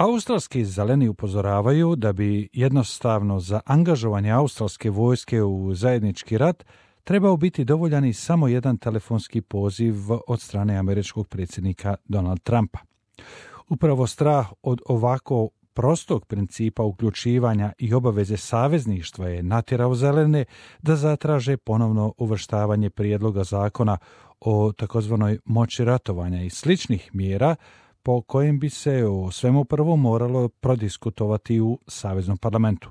Australski zeleni upozoravaju da bi jednostavno za angažovanje australske vojske u zajednički rat trebao biti dovoljan i samo jedan telefonski poziv od strane američkog predsjednika Donald Trumpa. Upravo strah od ovako prostog principa uključivanja i obaveze savezništva je natjerao zelene da zatraže ponovno uvrštavanje prijedloga zakona o takozvanoj moći ratovanja i sličnih mjera po kojem bi se o svemu prvo moralo prodiskutovati u Saveznom parlamentu.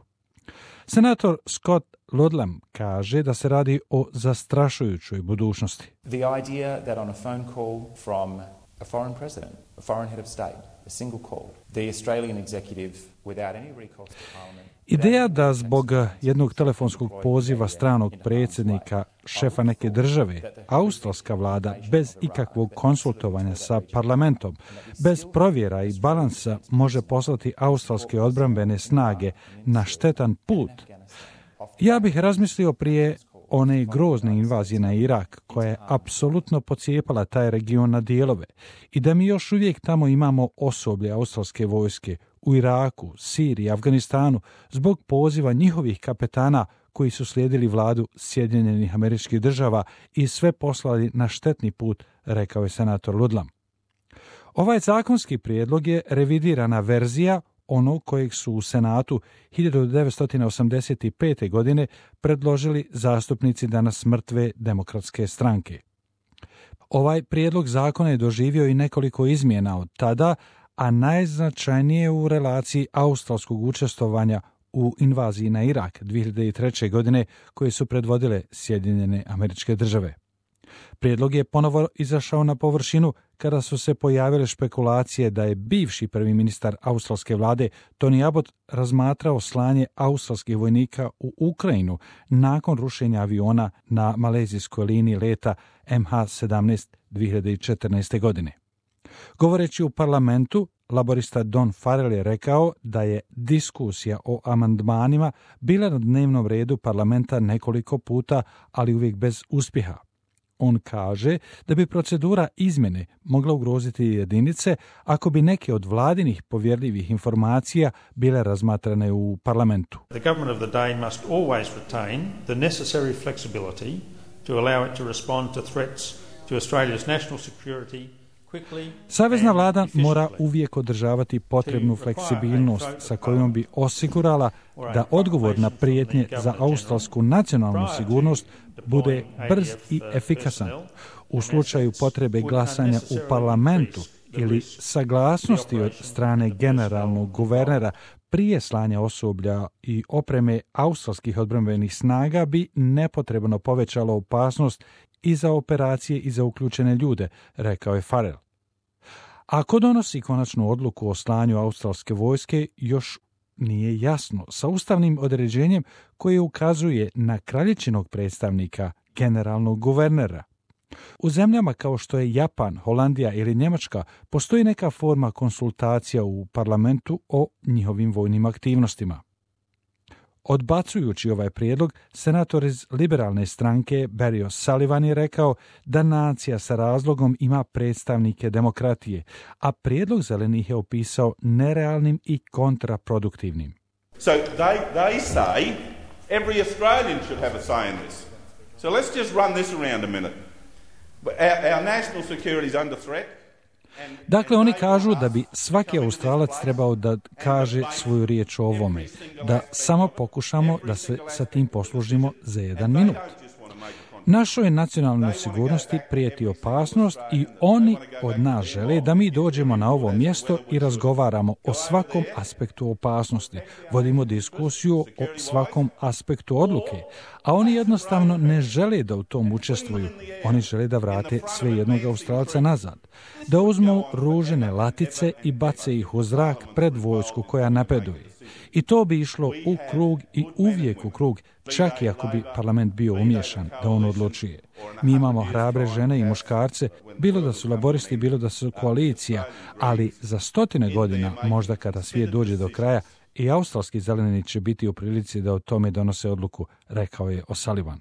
Senator Scott Ludlam kaže da se radi o zastrašujućoj budućnosti. The idea that on a phone call from a foreign president, a foreign head of state, a single call, the Australian executive without any recourse to parliament. Ideja da zbog jednog telefonskog poziva stranog predsjednika, šefa neke države, australska vlada bez ikakvog konsultovanja sa parlamentom, bez provjera i balansa može poslati australske odbrambene snage na štetan put. Ja bih razmislio prije one grozne invazije na Irak, koja je apsolutno pocijepala taj region na dijelove i da mi još uvijek tamo imamo osoblje australske vojske u Iraku, Siriji, Afganistanu zbog poziva njihovih kapetana koji su slijedili vladu Sjedinjenih Američkih Država i sve poslali na štetni put, rekao je senator Ludlam. Ovaj zakonski prijedlog je revidirana verzija onog kojeg su u Senatu 1985. godine predložili zastupnici danas mrtve demokratske stranke. Ovaj prijedlog zakona je doživio i nekoliko izmjena od tada, a najznačajnije u relaciji australskog učestvovanja u invaziji na Irak 2003. godine koje su predvodile Sjedinjene Američke Države. Prijedlog je ponovo izašao na površinu kada su se pojavile špekulacije da je bivši prvi ministar australske vlade Tony Abbott razmatrao slanje australskih vojnika u Ukrajinu nakon rušenja aviona na malezijskoj liniji leta MH17 2014. godine. Govoreći u parlamentu, laborista Don Farrell je rekao da je diskusija o amandmanima bila na dnevnom redu parlamenta nekoliko puta, ali uvijek bez uspjeha. On kaže da bi procedura izmjene mogla ugroziti jedinice ako bi neke od vladinih povjerljivih informacija bile razmatrane u parlamentu. The government of the day must always retain the necessary flexibility to allow it to respond to threats to Australia's national security. Savezna vlada mora uvijek održavati potrebnu fleksibilnost sa kojom bi osigurala da odgovor na prijetnje za australsku nacionalnu sigurnost bude brz i efikasan. U slučaju potrebe glasanja u parlamentu ili saglasnosti od strane generalnog guvernera prije slanja osoblja i opreme australskih odbrambenih snaga bi nepotrebno povećalo opasnost i za operacije i za uključene ljude, rekao je Farrell. Ako donosi konačnu odluku o slanju australske vojske, još nije jasno sa ustavnim određenjem koje ukazuje na kraljičinog predstavnika, generalnog guvernera. U zemljama kao što je Japan, Holandija ili Njemačka postoji neka forma konsultacija u parlamentu o njihovim vojnim aktivnostima. Odbacujući ovaj prijedlog, senator iz liberalne stranke Barry O'Sullivan je rekao da nacija sa razlogom ima predstavnike demokratije, a prijedlog zelenih je opisao nerealnim i kontraproduktivnim. So they say every Australian should have a say in this. So let's just run this around a minute. Our national security is under threat. Dakle, oni kažu da bi svaki Australac trebao da kaže svoju riječ o ovome, da samo pokušamo da se sa tim poslužimo za 1 minut. Našoj nacionalnoj sigurnosti prijeti opasnost i oni od nas žele da mi dođemo na ovo mjesto i razgovaramo o svakom aspektu opasnosti, vodimo diskusiju o svakom aspektu odluke, a oni jednostavno ne žele da u tom učestvuju. Oni žele da vrate sve jednog Australca nazad, da uzmu ružene latice i bace ih u zrak pred vojsku koja napreduje. I to bi išlo u krug i uvijek u krug, čak i ako bi parlament bio umiješan da on odlučuje. Mi imamo hrabre žene i muškarce, bilo da su laboristi, bilo da su koalicija, ali za 100 godina, možda kada svijet dođe do kraja, i australski zeleni će biti u prilici da o tome donose odluku, rekao je O'Sullivan.